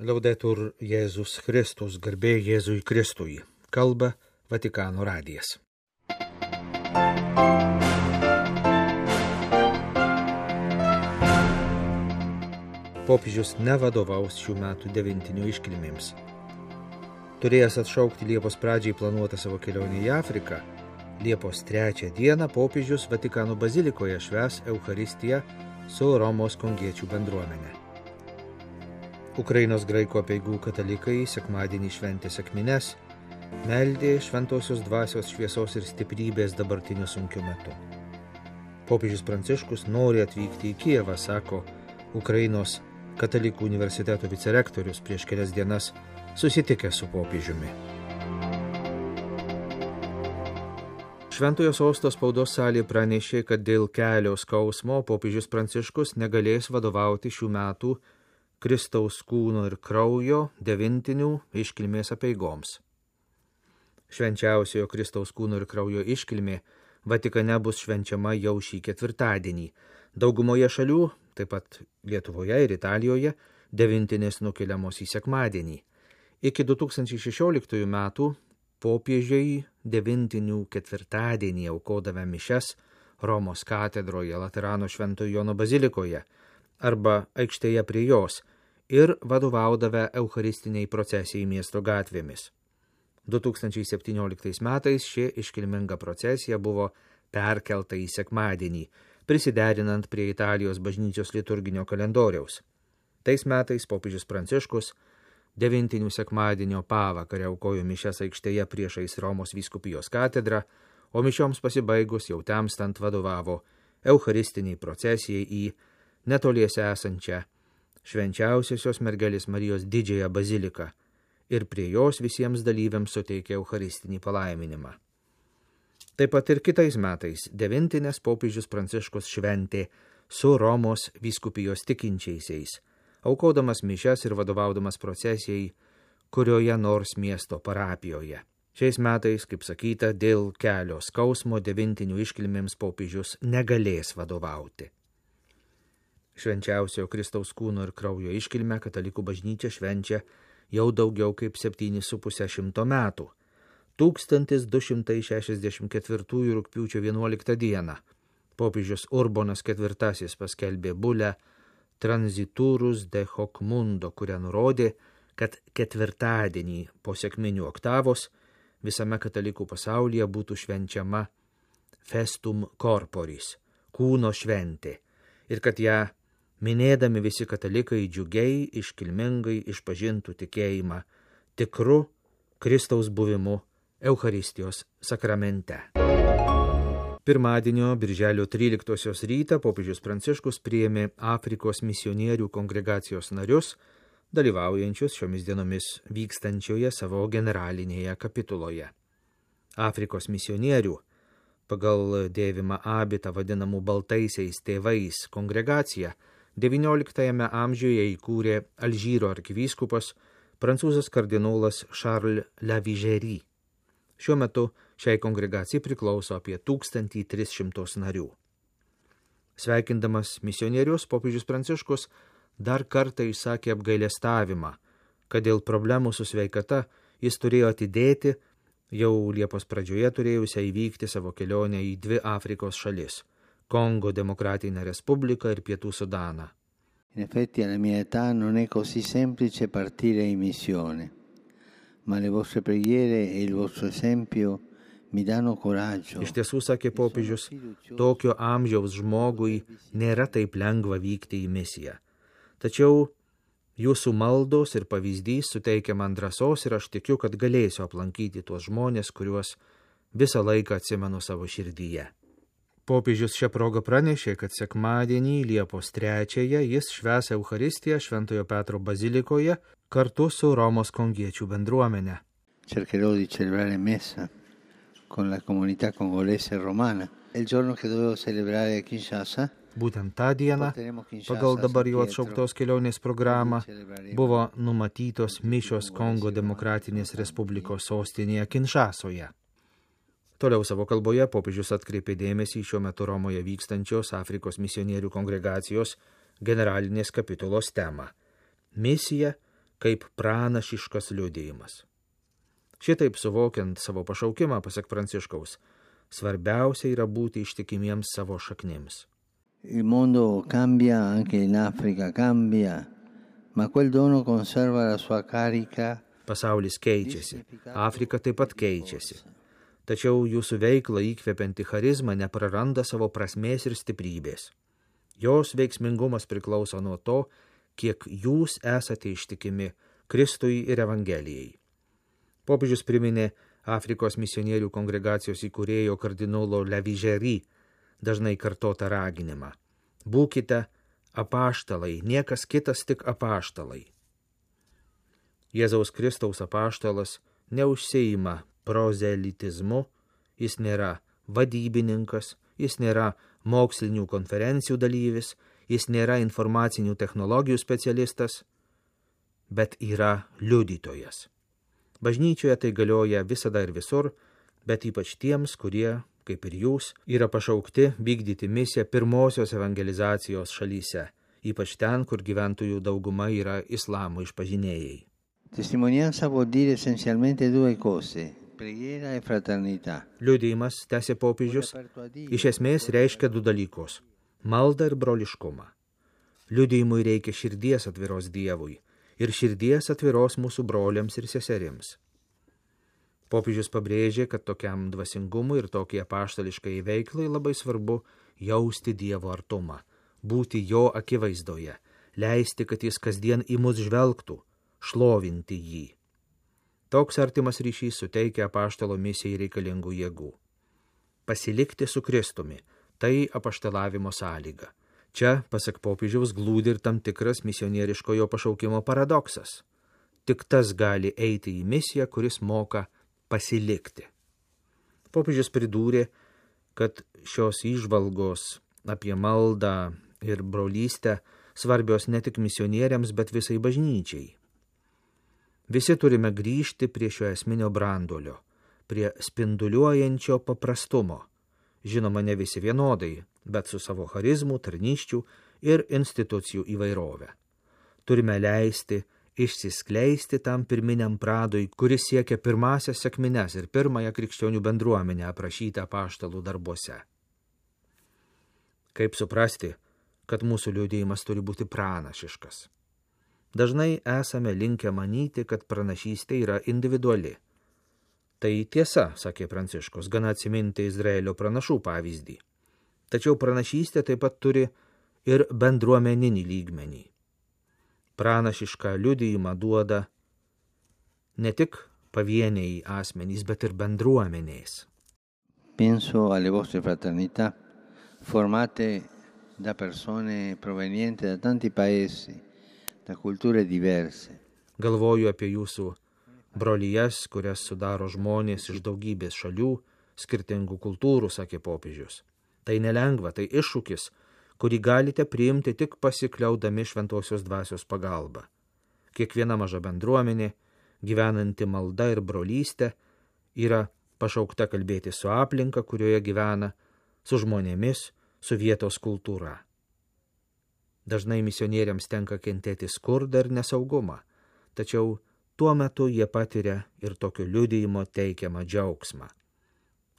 Laudetur Jėzus Kristus, garbė Jėzui Kristui, kalba Vatikano radijas. Popiežius nevadovaus šių metų devintinių iškilmėms. Turėjęs atšaukti Liepos pradžiai planuotą savo kelionę į Afriką, Liepos 3 dieną popiežius Vatikano bazilikoje švęs Eucharistiją su Romos kongiečių bendruomene. Ukrainos graikų apeigų katalikai sekmadienį šventė sekmines, meldė šventosios dvasios šviesos ir stiprybės dabartiniu sunkiu metu. Popiežius Pranciškus nori atvykti į Kijevą, sako Ukrainos katalikų universiteto vicerektorius prieš kelias dienas susitikęs su popiežiumi. Šventojo sosto spaudos salė pranešė, kad dėl kelio skausmo popiežius Pranciškus negalės vadovauti šių metų Kristaus kūno ir kraujo devintinių iškilmės apeigoms. Švenčiausiojo Kristaus kūno ir kraujo iškilmė Vatikane bus švenčiama jau šį ketvirtadienį. Daugumoje šalių, taip pat Lietuvoje ir Italijoje, devintinės nukeliamos į sekmadienį. Iki 2016 metų popiežiai devintinių ketvirtadienį aukodavę mišias Romos katedroje Laterano Šventojo Jono bazilikoje arba aikštėje prie jos ir vadovaudavę eucharistiniai procesijai miesto gatvėmis. 2017 metais ši iškilminga procesija buvo perkelta į sekmadienį, prisiderinant prie Italijos bažnyčios liturginio kalendoriaus. Tais metais popiežius Pranciškus devintinių sekmadienio pavakarę aukojo mišias aikštėje priešais Romos vyskupijos katedrą, o mišioms pasibaigus jau temstant vadovavo eucharistiniai procesijai į netoliese esančią Švenčiausiosios mergelės Marijos didžiąją baziliką ir prie jos visiems dalyviams suteikė eucharistinį palaiminimą. Taip pat ir kitais metais devintinės popiežius Pranciškus šventė su Romos vyskupijos tikinčiaisiais, aukodamas mišias ir vadovaudamas procesijai kurioje nors miesto parapijoje. Šiais metais, kaip sakyta, dėl kelio skausmo devintinių iškilmėms popiežius negalės vadovauti. Švenčiausiojo Kristaus kūno ir kraujo iškilmę katalikų bažnyčia švenčia jau daugiau kaip 7,5 metų. 1264 rugpjūčio 11 dieną popiežius Urbonas IV paskelbė bulę Transiturus de hoc mundo, kuria nurodė, kad ketvirtadienį po sekminių oktavos visame katalikų pasaulyje būtų švenčiama festum corporis, kūno šventė, ir kad ją minėdami visi katalikai džiugiai, iškilmingai išpažintų tikėjimą tikru Kristaus buvimu Eucharistijos sakramente. Pirmadienio birželio 13 rytą popiežius Pranciškus priėmė Afrikos misionierių kongregacijos narius, dalyvaujančius šiomis dienomis vykstančioje savo generalinėje kapituloje. Afrikos misionierių, pagal dėvimą abitą vadinamų baltaisiais tėvais kongregacija, XIX amžiuje įkūrė Alžyro arkivyskupas prancūzas kardinolas Charles Lavigéry. Šiuo metu šiai kongregacijai priklauso apie 1300 narių. Sveikindamas misionierius, popiežius Pranciškus dar kartą išsakė apgailestavimą, kad dėl problemų su sveikata jis turėjo atidėti jau Liepos pradžioje turėjusią įvykti savo kelionę į 2 Afrikos šalis – Kongo Demokratinę Respubliką ir Pietų Sudaną. In effetti alla mia età non è così semplice partire in missione, ma le vostre preghiere e il vostro esempio mi danno coraggio. Iš tiesų, sakė popiežius, tokio amžiaus žmogui nėra taip lengva vykti į misiją. Tačiau jūsų maldos ir pavyzdys suteikia man drąsos ir aš tikiu, kad galėsiu aplankyti tuos žmonės, kuriuos visą laiką atsimenu savo širdyje. Popiežius šią progą pranešė, kad sekmadienį Liepos 3 jis švęs Eucharistiją Šventojo Petro bazilikoje kartu su Romos kongiečių bendruomene. Cercherò di celebrare messa con la comunità congolese romana. Il giorno che dovevo celebrare a Kinshasa, būtent tą dieną, pagal dabar jau atšauktos kelionės programą, buvo numatytos mišios Kongo Demokratinės Respublikos sostinėje Kinshasoje. Toliau savo kalboje popiežius atkreipė dėmesį į šiuo metu Romoje vykstančios Afrikos misionierių kongregacijos generalinės kapitulos temą – misija kaip pranašiškas liudijimas. Šitaip suvokiant savo pašaukimą, pasak Pranciškaus, svarbiausia yra būti ištikimiems savo šaknims. Il mondo cambia, anche in Africa cambia, ma quel dono conserva la sua carica. Pasaulis keičiasi, Afrika taip pat keičiasi. Tačiau jūsų veiklą įkvepianti charizma nepraranda savo prasmės ir stiprybės. Jos veiksmingumas priklauso nuo to, kiek jūs esate ištikimi Kristui ir Evangelijai. Popiežius priminė Afrikos misionierių kongregacijos įkūrėjo kardinolo Levižery dažnai kartotą raginimą. Būkite apaštalai, niekas kitas tik apaštalai. Jėzaus Kristaus apaštalas neužsiima prozelitizmu, jis nėra vadybininkas, jis nėra mokslinių konferencijų dalyvis, jis nėra informacinių technologijų specialistas, bet yra liudytojas. Bažnyčioje tai galioja visada ir visur, bet ypač tiems, kurie, kaip ir jūs, yra pašaukti vykdyti misiją pirmosios evangelizacijos šalyse, ypač ten, kur gyventojų dauguma yra islamo išpažinėjai. Testimonianza vuol dire essenzialmente due cose, preghiera e fraternità. Liudijimas, tęsė popiežius, iš esmės reiškia du dalykus – maldą ir broliškumą. Liudijimui reikia širdies atviros Dievui ir širdies atviros mūsų broliams ir seserims. Popiežius pabrėžė, kad tokiam dvasingumui ir tokie apaštališkai veiklai labai svarbu jausti Dievo artumą, būti jo akivaizdoje, leisti, kad jis kasdien į mus žvelgtų, šlovinti jį. Toks artimas ryšys suteikia apaštalo misijai reikalingų jėgų. Pasilikti su Kristumi – tai apaštalavimo sąlyga. Čia, pasak popiežiaus, glūdi ir tam tikras misionieriškojo pašaukimo paradoksas. Tik tas gali eiti į misiją, kuris moka pasilikti. Popiežius pridūrė, kad šios įžvalgos apie maldą ir brolystę svarbios ne tik misionieriams, bet visai bažnyčiai. Visi turime grįžti prie šio esminio branduolio, prie spinduliuojančio paprastumo. Žinoma, ne visi vienodai, bet su savo charizmų, tarnysčių ir institucijų įvairovę. Turime leisti išsiskleisti tam pirminiam pradui, kuris siekia pirmąsias sekmines ir pirmąją krikščionių bendruomenę aprašytą apaštalų darbuose. Kaip suprasti, kad mūsų liudijimas turi būti pranašiškas? Dažnai esame linkę manyti, kad pranašystė yra individuali. Tai tiesa, sakė Pranciškus, gana atsiminti Izraelio pranašų pavyzdį. Tačiau pranašystė taip pat turi ir bendruomeninį lygmenį. Pranašišką liudijimą duoda ne tik pavieniai asmenys, bet ir bendruomenės. Penso alle vostre fraternità, formate da persone provenienti da tanti paesi, da culture diverse. Galvoju apie jūsų brolijas, kurias sudaro žmonės iš daugybės šalių, skirtingų kultūrų, sakė popiežius. Tai nelengva, tai iššūkis, kurį galite priimti tik pasikliaudami šventosios dvasios pagalba. Kiekviena maža bendruomenė, gyvenanti malda ir brolystė, yra pašaukta kalbėti su aplinka, kurioje gyvena, su žmonėmis, su vietos kultūra. Dažnai misionieriams tenka kentėti skurdą ir nesaugumą, tačiau tuo metu jie patiria ir tokio liudijimo teikiamą džiaugsmą.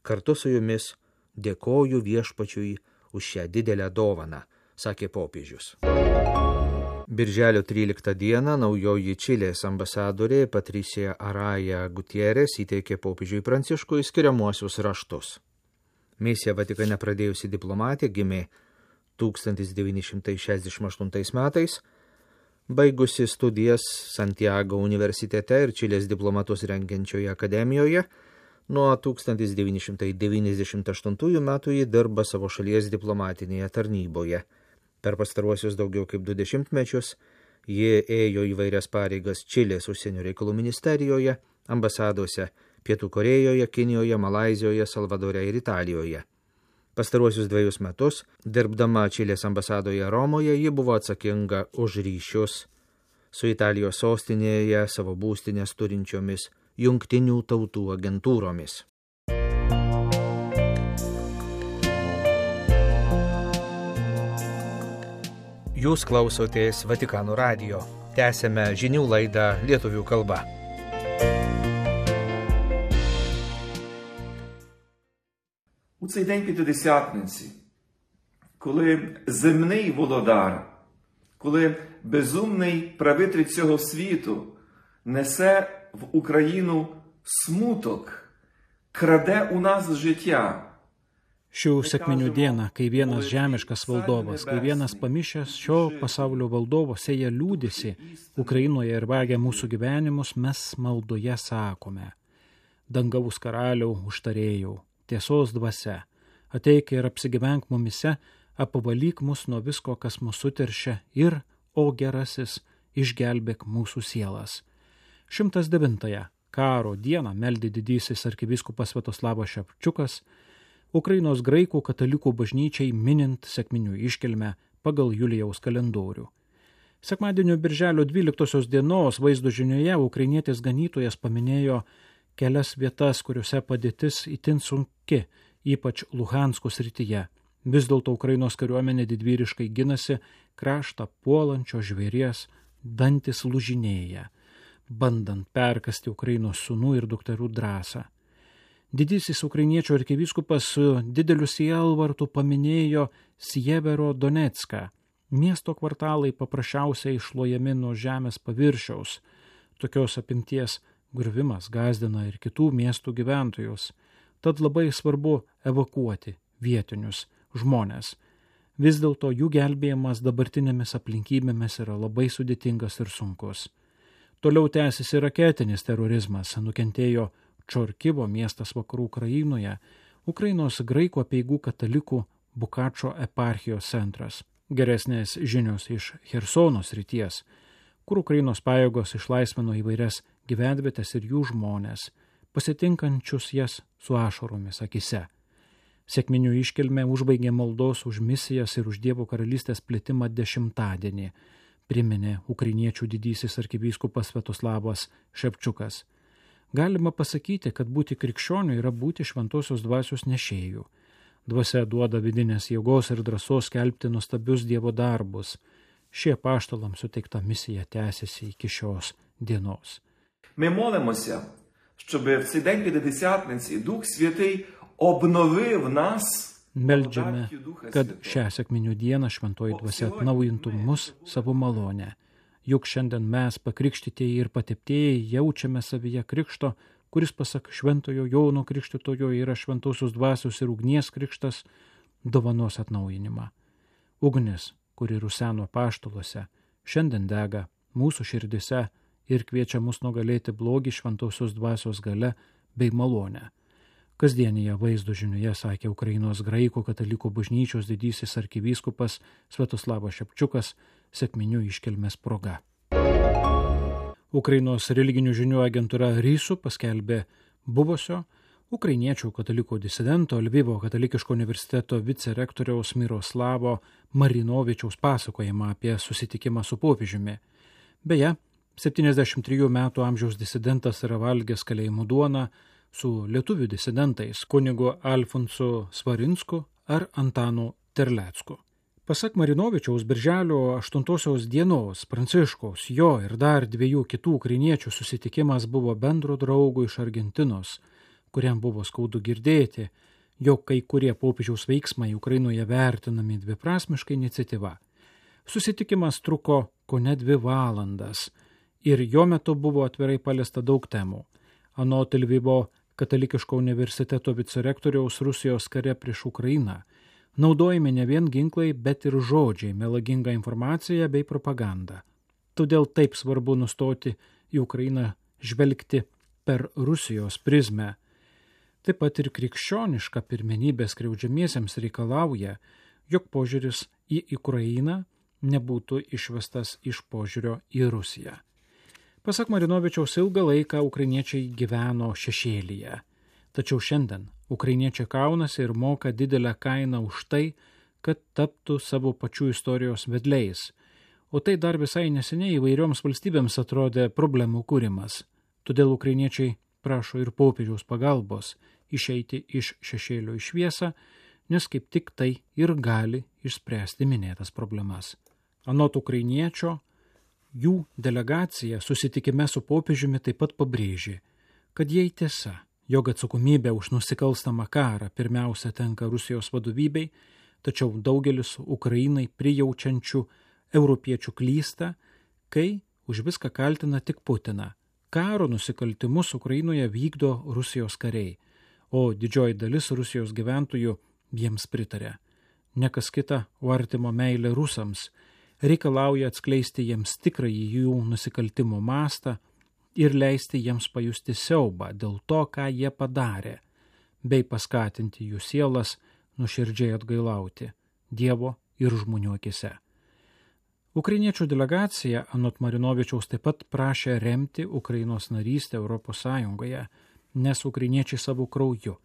Kartu su jumis dėkoju Viešpačiui už šią didelę dovaną, sakė popiežius. Birželio 13 dieną naujoji Čilės ambasadorė Patricia Araya Gutierrez įteikė popiežiui Pranciškui skiriamuosius raštus. Misija Vatikane pradėjusi diplomatė gimė 1968 metais, baigusi studijas Santiago universitete ir Čilės diplomatus rengiančioje akademijoje, nuo 1998 metų ji dirba savo šalies diplomatinėje tarnyboje. Per pastaruosius daugiau kaip 20 mečius ji ėjo įvairias pareigas Čilės užsienio reikalų ministerijoje, ambasadose Pietų Korėjoje, Kinijoje, Malaizijoje, Salvadore ir Italijoje. Pastaruosius 2 metus, dirbdama Čilės ambasadoje Romoje, ji buvo atsakinga už ryšius su Italijos sostinėje savo būstinės turinčiomis Jungtinių tautų agentūromis. Jūs klausotės Vatikano radijo. Tęsėme žinių laidą lietuvių kalba. У цей день П'ятидесятниці, коли земний володар, коли безумний правитель цього світу несе в Україну смуток, краде у нас життя. Šių sekminių dieną, kai vienas žemiškas valdovas, kai vienas pamišęs šio pasaulio valdovas sėja liūdesį Ukrainoje ir vagia mūsų gyvenimus, mes maldoje sakome: dangaus karaliau, užtarėjau, tiesos dvasia, ateik ir apsigyvenk mumise, apvalyk mus nuo visko, kas mus suteršia ir, o gerasis, išgelbėk mūsų sielas. 109 karo dieną meldė didysis arkivyskupas Sviatoslavas Ševčiukas Ukrainos graikų katalikų bažnyčiai minint sekminių iškilmę pagal Julijaus kalendorių. Sekmadienio birželio 12 dienos vaizdo žinioje ukrainietis ganytojas paminėjo kelias vietas, kuriuose padėtis itin sunki, ypač Luhansko srityje. Vis dėlto Ukrainos kariuomenė didvyriškai ginasi, kraštą puolančio žvėries dantis lūžinėja, bandant perkasti Ukrainos sūnų ir dukterų drąsą. Didysis ukrainiečių arkivyskupas su dideliu sielvartu paminėjo Sievero Donecką. Miesto kvartalai paprasčiausiai išlojami nuo žemės paviršiaus. Tokios apimties griuvimas gąsdina ir kitų miestų gyventojus. Tad labai svarbu evakuoti vietinius žmonės. Vis dėlto jų gelbėjimas dabartinėmis aplinkybėmis yra labai sudėtingas ir sunkus. Toliau tęsiasi raketinis terorizmas, nukentėjo Čorkivo miestas vakarų Ukrainoje, Ukrainos graikų apeigų katalikų Bukačo eparchijos centras. Geresnės žinios iš Chersono srities, kur Ukrainos pajėgos išlaisvino įvairias gyvenvietes ir jų žmonės, pasitinkančius jas su ašaromis akise. Sekminių iškilmė užbaigė maldos už misijas ir už Dievo karalystės plitimą 10-dienį, priminė ukrainiečių didysis arkivyskupas Sviatoslavas Ševčiukas. Galima pasakyti, kad būti krikščioniu yra būti šventosios dvasios nešėjų. Dvasia duoda vidinės jėgos ir drąsos skelbti nuostabius Dievo darbus. Šie apaštalams suteikta misija tęsiasi iki šios dienos. Ми молимося, щоб в цей день П'ятидесятниці Дух Святий обновив нас. Meldžiame, kad šią sekminių dieną šventoji dvasia atnaujintų mus savo malonę. Juk šiandien mes, pakrikštytieji ir pateptieji, jaučiame savyje krikšto, kuris pasak šventojo Jono Krikštytojo yra šventosios dvasios ir ugnies krikštas, dovanos atnaujinimą. Ugnis, kuri ruseno apaštaluose, šiandien dega mūsų širdise ir kviečia mus nugalėti blogį šventosios dvasios gale bei malonę. Kasdienėje vaizdo žinioje sakė Ukrainos graikų katalikų bažnyčios didysis arkivyskupas Sviatoslavas Ševčiukas sekminių iškilmės proga. Ukrainos religinių žinių agentūra RISU paskelbė buvusio ukrainiečių katalikų disidento Lvivo katalikiško universiteto vicerektoriaus Miroslavo Marinovičiaus pasakojimą apie susitikimą su popiežiumi. Beje, 73 metų amžiaus disidentas yra valgęs kalėjimų duoną su lietuvių disidentais kunigu Alfonsu Svarinsku ar Antanu Terlecku. Pasak Marinovičiaus, birželio 8 dienos Pranciškaus, jo ir dar 2 kitų ukrainiečių susitikimas buvo bendro draugo iš Argentinos, kuriam buvo skaudu girdėti, jog kai kurie popiežiaus veiksmai Ukrainoje vertinami dviprasmiška iniciatyva. Susitikimas truko kone 2 valandas ir jo metu buvo atvirai paliesta daug temų. Anot Lvivo katalikiško universiteto vicerektoriaus Rusijos kare prieš Ukrainą naudojami ne vien ginklai, bet ir žodžiai, melaginga informacija bei propaganda. Todėl taip svarbu nustoti į Ukrainą žvelgti per Rusijos prizmę. Taip pat ir krikščioniška pirmenybė skriaudžiamiesiems reikalauja, jog požiūris į Ukrainą nebūtų išvestas iš požiūrio į Rusiją. Pasak Marinovičiaus, ilgą laiką ukrainiečiai gyveno šešėlyje. Tačiau šiandien ukrainiečiai kaunasi ir moka didelę kainą už tai, kad taptų savo pačių istorijos vedliais. O tai dar visai neseniai įvairioms valstybėms atrodė problemų kūrimas. Todėl ukrainiečiai prašo ir popiežiaus pagalbos išeiti iš šešėlio į šviesą, nes kaip tik tai ir gali išspręsti minėtas problemas. Anot ukrainiečio, Jų delegacija susitikime su popiežiumi taip pat pabrėžė, kad jei tiesa, jog atsakomybė už nusikalstamą karą pirmiausia tenka Rusijos vadovybei, tačiau daugelis Ukrainai prijaučiančių europiečių klysta, kai už viską kaltina tik Putiną. Karo nusikaltimus Ukrainoje vykdo Rusijos kariai, o didžioji dalis Rusijos gyventojų jiems pritarė. Nekas kita, o artimo meilė rusams reikalauja atskleisti jiems tikrąjį jų nusikaltimo mastą ir leisti jiems pajusti siaubą dėl to, ką jie padarė, bei paskatinti jų sielas nuoširdžiai atgailauti Dievo ir žmonių akise. Ukrainiečių delegacija anot Marinovičiaus taip pat prašė remti Ukrainos narystę Europos Sąjungoje, nes ukrainiečiai savo krauju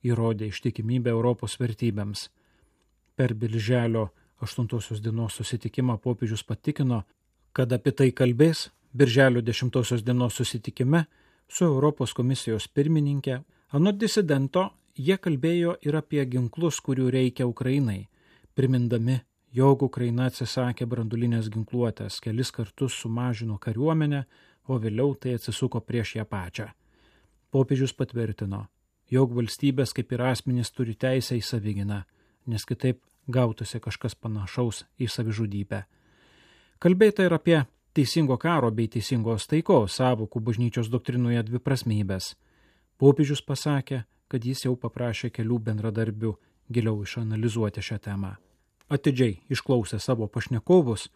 įrodė ištikimybę Europos vertybėms. Per Birželio 8 dienos susitikimą popiežius patikino, kad apie tai kalbės Birželio 10 dienos susitikime su Europos komisijos pirmininkė. Anot disidento, jie kalbėjo ir apie ginklus, kurių reikia Ukrainai, primindami, jog Ukraina atsisakė branduolinės ginkluotės, kelis kartus sumažino kariuomenę, o vėliau tai atsisuko prieš ją pačią. Popiežius patvirtino, jog valstybės kaip ir asmenys turi teisę į savigyną, nes kitaip gautųsi kažkas panašaus į savižudybę. Kalbėta ir apie teisingo karo bei teisingos taikos sąvokų bažnyčios doktrinoje dviprasmybės. Popiežius pasakė, kad jis jau paprašė kelių bendradarbių giliau išanalizuoti šią temą. Atidžiai išklausę savo pašnekovus,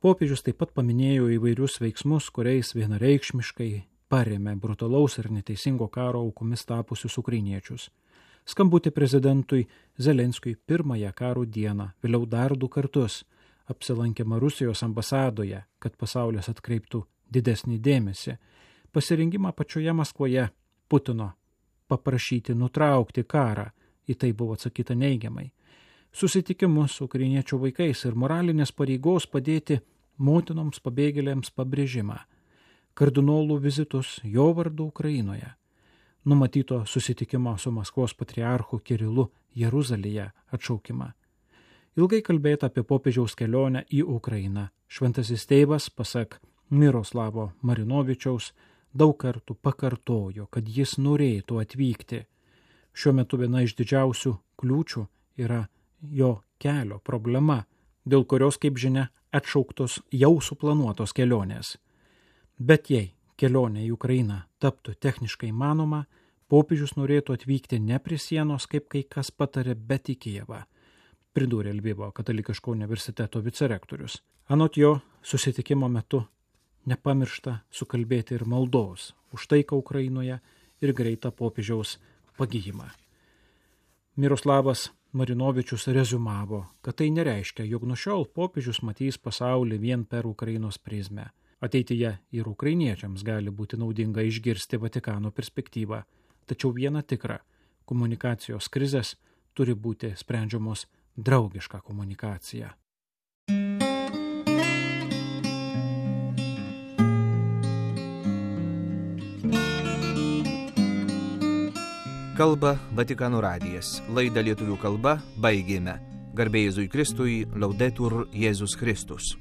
popiežius taip pat paminėjo įvairius veiksmus, kuriais vienareikšmiškai parėmė brutalaus ir neteisingo karo aukomis tapusius ukrainiečius. Skambutį prezidentui Zelenskiui pirmąją karo dieną, vėliau dar 2 kartus, apsilankėma Rusijos ambasadoje, kad pasaulis atkreiptų didesnį dėmesį, pasirinkimą pačioje Maskvoje Putino paprašyti nutraukti karą, į tai buvo atsakyta neigiamai, susitikimus su ukrainiečių vaikais ir moralinės pareigos padėti motinoms pabėgėlėms pabrėžimą, kardinolų vizitus jo vardu Ukrainoje, numatyto susitikimo su Maskvos patriarchu Kirilu Jeruzalėje atšaukimą. Ilgai kalbėta apie popiežiaus kelionę į Ukrainą. Šventasis tėvas, pasak Miroslavo Marinovičiaus, daug kartų pakartojo, kad jis norėtų atvykti. Šiuo metu viena iš didžiausių kliūčių yra jo kelio problema, dėl kurios, kaip žinia, atšauktos jau suplanuotos kelionės. Bet jei kelionė į Ukrainą taptų techniškai įmanoma, popiežius norėtų atvykti ne prie sienos, kaip kai kas patarė, bet į Kijevą, pridūrė Lvivo katalikiško universiteto vicerektorius. Anot jo, susitikimo metu nepamiršta sukalbėti ir maldos už taiką Ukrainoje ir greitą popiežiaus pagijimą. Miroslavas Marinovičius rezumavo, kad tai nereiškia, jog nuo šiol popiežius matys pasaulį vien per Ukrainos prizmę. Ateityje ir ukrainiečiams gali būti naudinga išgirsti Vatikano perspektyvą, tačiau viena tikra – komunikacijos krizės turi būti sprendžiamos draugiška komunikacija. Kalba Vatikano radijas. Laidą lietuvių kalba baigėme. Garbė Jėzui Kristui, Laudetur Jėzus Kristus.